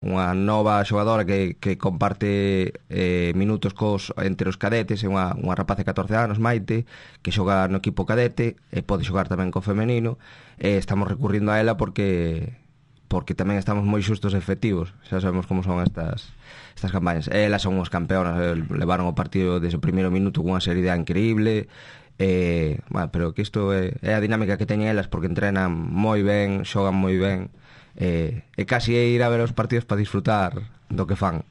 unha nova xogadora que comparte minutos entre os cadetes, é unha rapaz de 14 anos, Maite, que xoga no equipo cadete e pode xogar tamén co femenino, e estamos recurrindo a ela porque tamén estamos moi xustos efectivos, xa sabemos como son estas campañas. Elas son os campeonas, levaron o partido desde o primeiro minuto cunha seriedade increíble. Bueno, pero que isto é a dinámica que teñen elas, porque entrenan moi ben, xogan moi ben, e casi é ir a ver os partidos para disfrutar do que fan.